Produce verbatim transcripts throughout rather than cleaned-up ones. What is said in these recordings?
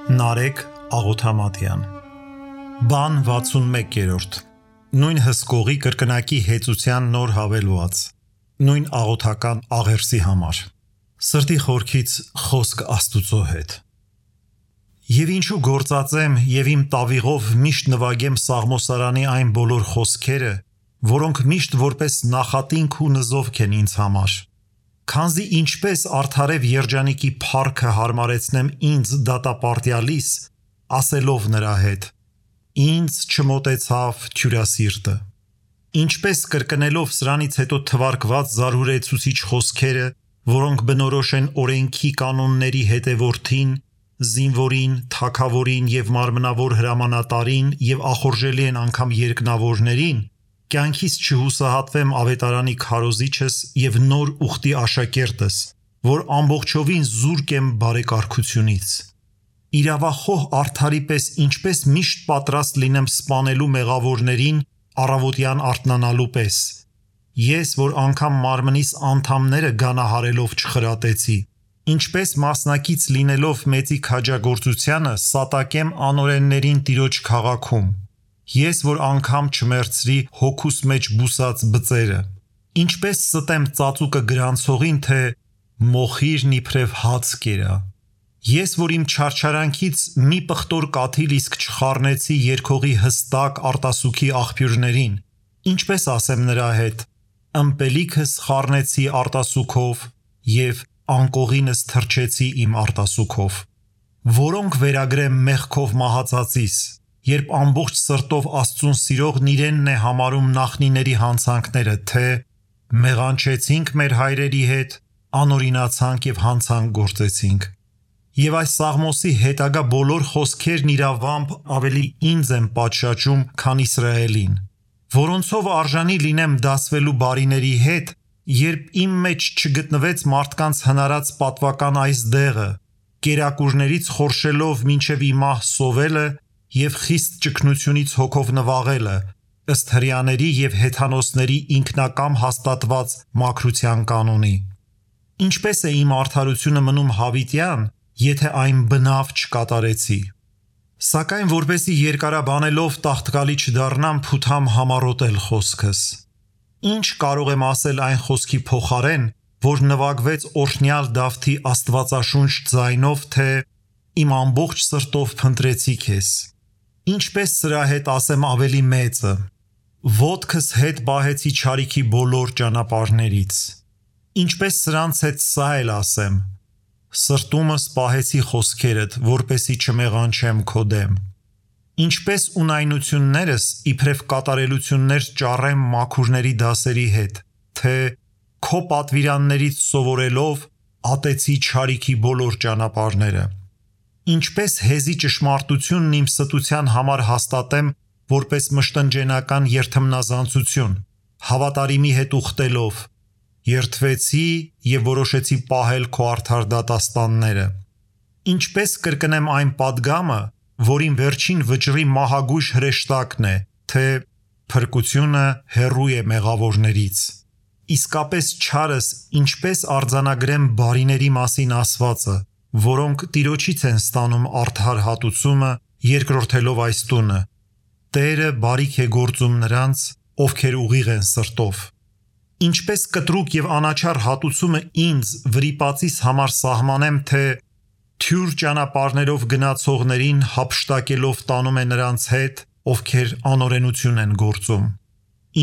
Նարեկ Աղոթամատյան Բան վաթսունմեկերորդ Նույն հսկողի կրկնակի հեծության նոր հավելված Նույն աղոթական աղերսի համար Սրտի խորքից խոսք Աստուծո հետ Եվ ինչու գործածեմ և իմ տավիղով միշտ նվագեմ Սաղմոսարանի այն բոլոր խոսքերը, որոնք միշտ որպես նախատինք ու նզովք են ինձ համար Քանզի ինչպես արդարև երջանիկի փառքը հարմարեցնեմ ինձ դատապարտյալիս, ասելով նրա հետ, ինձ չմոտեցավ թյուրասիրտը, ինչպես կրկնելով սրանից հետո թվարկված զարհուրեցուցիչ խոսքերը, որոնք բնորոշ են օրենքի կանոնների հետևորդին, զինվորին, թագավորին և մարմնավոր հրամանատարին և ախորժելի են անգամ երկնավորներին, կյանքից չհուսահատվեմ ավետարանի քարոզիչս և նոր ուխտի աշակերտս, որ ամբողջովին զուրկ եմ բարեկարգությունից։ Իրավախոհ արդարի պես ինչպես միշտ պատրաստ լինեմ սպանելու մեղավորներին առավոտյան արթնանալու պես, ես, որ անգամ մարմնիս անդամները գանահարելով չխրատեցի, ինչպես մասնակից լինելով մեծի քաջագործությանը սատակեմ անօրեններին Տիրոջ քաղաքում, ես, որ անգամ չմերցրի հոգուս մեջ բուսած բծերը, ինչպես ստեմ ծածուկը գրանցողին, թե մոխիրն իբրև հաց կերա, ես, որ իմ չարչարանքից մի պղտոր կաթիլ իսկ չխառնեցի երգողի հստակ արտասուքի աղբյուրներին, ինչպես ասեմ նրա հետ, ըմպելիքս խառնեցի արտասուքով և անկողինս թրջեցի իմ արտասուքով, որոնք վերագրեմ մեղքով մահացածիս, երբ ամբողջ սրտով Աստծուն սիրողն իրենն է համարում նախնիների հանցանքները, թե մեղանչեցինք մեր հայրերի հետ, անօրինացանք և հանցանք գործեցինք։ Եվ այս Սաղմոսի հետագա բոլոր խոսքերն իրավամբ ավելի ինձ են պատշաճում, քան Իսրայելին, որոնցով արժանի լինեմ դասվելու բարիների հետ, երբ իմ մեջ չգտնվեց մարդկանց հնարած պատվական այս դեղը, կերակուրներից խորշելով մինչև իմահ սովելը և խիստ ճգնությունից հոգով նվաղելը, ըստ հրեաների և հեթանոսների ինքնակամ հաստատված մաքրության կանոնի։ Ինչպես է իմ արդարությունը մնում հավիտյան, եթե այն բնավ չկատարեցի։ Սակայն որպեսի երկարաբանելով տաղտկալի չդառնամ, փութամ համառոտել խոսքս։ Ինչ կարող եմ ասել այն խոսքի փոխարեն, որ նվագվեց օրհնյալ Դավթի աստվածաշունչ ձայնով, թե իմ ամբողջ սրտով փնտրեցի քեզ։ Ինչպես սրա հետ ասեմ ավելի մեծը, ոտքս հետ պահեցի չարիքի բոլոր ճանապարհներից, ինչպես սրանց հետ սա էլ ասեմ, սրտումս պահեցի խոսքերդ, որպեսի չմեղանչեմ քո դեմ, ինչպես ունայնություններս իբրև կատարելություններ ճառեմ մաքուրների դասերի հետ, թե քո պատվիրաններից սովորելով ատեցի չարիքի բոլոր ճանապարհները, ինչպես հեզի ճշմարտությունն իմ ստության համար հաստատեմ որպես մշտնջենական երթմնազանցություն, հավատարիմի հետ ուխտելով, երդվեցի և որոշեցի պահել քո արդար դատաստանները, ինչպես կրկնեմ այն պատգամը, որին վերջին վճռի մահագույժ հրեշտակն է, թե փրկությունը հեռու է մեղավորներից, իսկապես չարս ինչպես արձանագրեմ բարիների մասին ասվածը, որոնք Տիրոջից են ստանում արդար հատուցումը, երկրորդելով այս տունը, Տերը բարիք է գործում նրանց, ովքեր ուղիղ են սրտով, ինչպես կտրուկ և անաչառ հատուցումը ինձ վրիպածիս համար սահմանեմ, թե թյուր ճանապարհներով գնացողներին հափշտակելով տանում է նրանց հետ, ովքեր անօրենություն են գործում,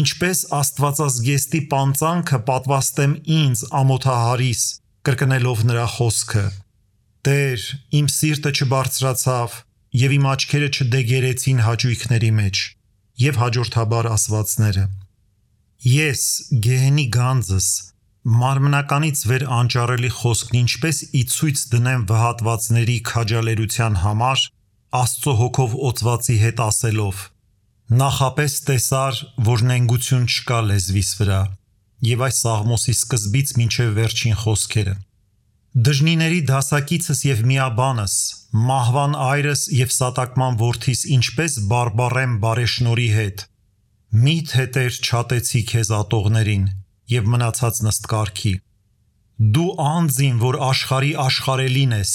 ինչպես աստվածազգեստի պանծանքը պատվաստեմ ինձ ամոթահարիս, կրկնելով նրա խոսքը, Տեր, իմ սիրտը չբարձրացավ և իմ աչքերը չդեգերեցին հաճույքների մեջ, և հաջորդաբար ասվածները։ Ես, գեհենի գանձս, մարմնականից վեր անճառելի խոսքն ինչպես ի ցույց դնեմ վհատվածների քաջալերության համար, Աստծո հոգով օծվածի հետ ասելով, նախապես տեսար, որ նենգություն չկա լեզվիս վրա, և այս Սաղմոսի սկզբից մինչև վերջին խոսքերը։ Դժնիների դասակիցս և միաբանս, մահվան այրս և սատակման որդիս ինչպես բարբառեմ բարեշնորի հետ, միթե Տեր չատեցի քեզ ատողներին և մնացած նստկարգի։ Դու անձին, որ աշխարհի աշխարհելին ես,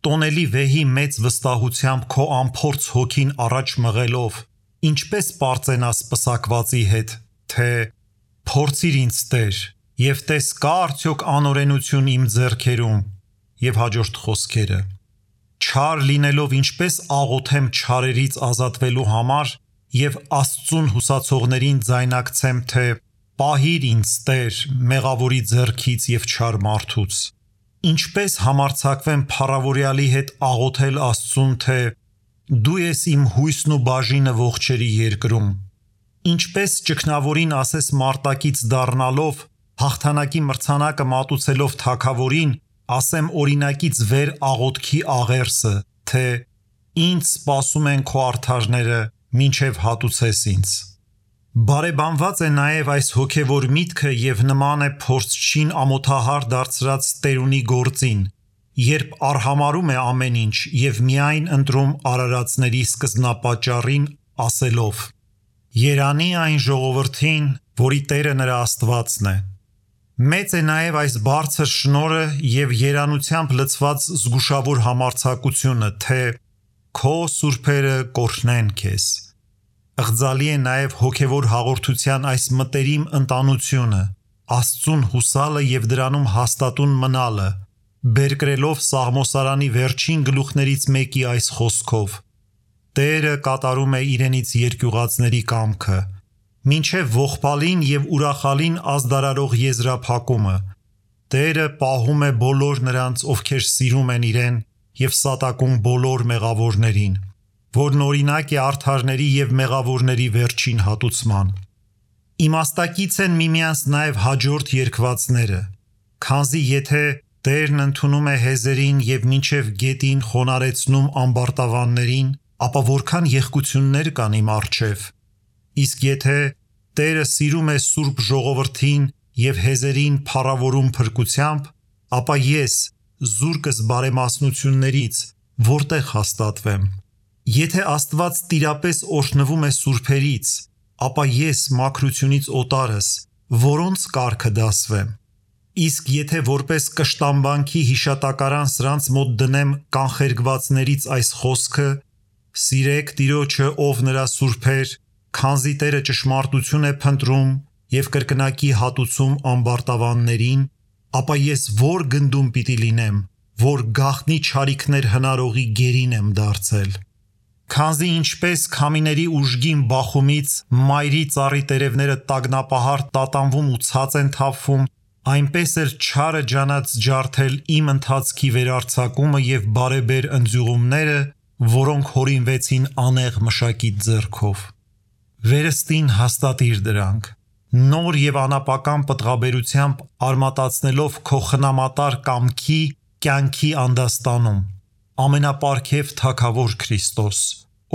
տոնելի վեհի մեծ վստահությամբ քո ամփորձ հոգին առաջ մղելով, ինչպես պարծենաս պսակվածի հետ, թե փորձիր ինձ Տեր, եւ տես կա արդյոք անօրենություն իմ ձեռքերում, եւ հաջորդ խոսքերը. չար լինելով ինչպես աղոթեմ չարերից ազատվելու համար եւ Աստծուն հուսացողներին ձայնակցեմ, թե պահիր ինձ Տեր մեղավորի ձեռքից եւ չար մարդուց, ինչպես համարձակվեմ փառավորյալի հետ աղոթել Աստծուն, թե դու ես իմ հույսն ու բաժինը ողջերի երկրում, ինչպես ճգնավորին ասես մարտակից դառնալով, հաղթանակի մրցանակը մատուցելով թագավորին, ասեմ օրինակից վեր աղոթքի աղերսը, թե ինձ սպասում են քո արդարները, մինչև հատուցես ինձ։ Բարեբանված է նաև այս հոգևոր միտքը եւ նման է փորձչին ամոթահար դարձրած տերունի գործին, երբ արհամարում է ամեն ինչ եւ միայն ընտրում արարածների սկզբնապատճառին, ասելով. Երանի այն ժողովրդին, որի Տերը նրա Աստվածն է։ Մեծ է նաև այս բարձր շնորհը եւ երանությամբ լցված զգուշավոր համարձակությունը, թե քո սուրբերը կօրհնեն քեզ։ Ըղձալի է նաև հոգևոր հաղորդության այս մտերիմ ընտանությունը, Աստծուն հուսալը եւ դրանում հաստատուն մնալը, բերկրելով Սաղմոսարանի վերջին գլուխներից մեկի այս խոսքով. Տերը կատարում է իրենից երկյուղածների կամքը, մինչև ողբալին եւ ուրախալին ազդարարող եզրափակումը, Տերը պահում է բոլոր նրանց, ովքեր սիրում են իրեն եւ սատակում բոլոր մեղավորներին, որն օրինակ է արդարների եւ մեղավորների վերջին հատուցման։ Իմաստակից են միմյանց նաև հաջորդ երկվածները, քանզի եթե Տերն ընդունում է հեզերին եւ մինչև գետին խոնարեցնում ամբարտավաններին, ապա որքան եղկություններ կան իմ առջև։ Իսկ եթե Տերը սիրում է սուրբ ժողովրդին եւ հեզերին փառավորում փրկությամբ, ապա ես զուրկս բարեմասնություններից որտեղ հաստատվեմ։ Եթե Աստված տիրապես օրհնվում է սուրբերից, ապա ես մաքրությունից օտարս, որոնց կարգը դասվեմ։ Իսկ եթե որպես կշտամբանքի հիշատակարան սրանց մոտ դնեմ կանխերգվածներից այս խոսքը, սիրեք Տիրոջը, ով նրա սուրբեր, քանզի Տերը ճշմարտություն է փնտրում եւ կրկնակի հատուցում ամբարտավաններին, ապա ես որ գնդում պիտի լինեմ, որ գաղտնի չարիքներ հնարողի գերին եմ դարձել։ Քանզի ինչպես քամիների ուժգին բախումից մայրի ծառի տերևները տագնապահար տատանվում ու ցած են թափվում, այնպես էլ չարը ջանած ջարդել իմ ընթացքի վերարձակումը եւ բարեբեր ընձյուղումները, որոնք հորինվեցին անեղ մշակի ձեռքով։ Վերստին հաստատիր դրանք, նոր եւ անապական պտղաբերությամբ արմատացնելով քո խնամատար կամքի կյանքի անդաստանում, ամենապարքև թագավոր Քրիստոս,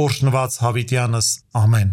օրհնված հավիտյանս, ամեն։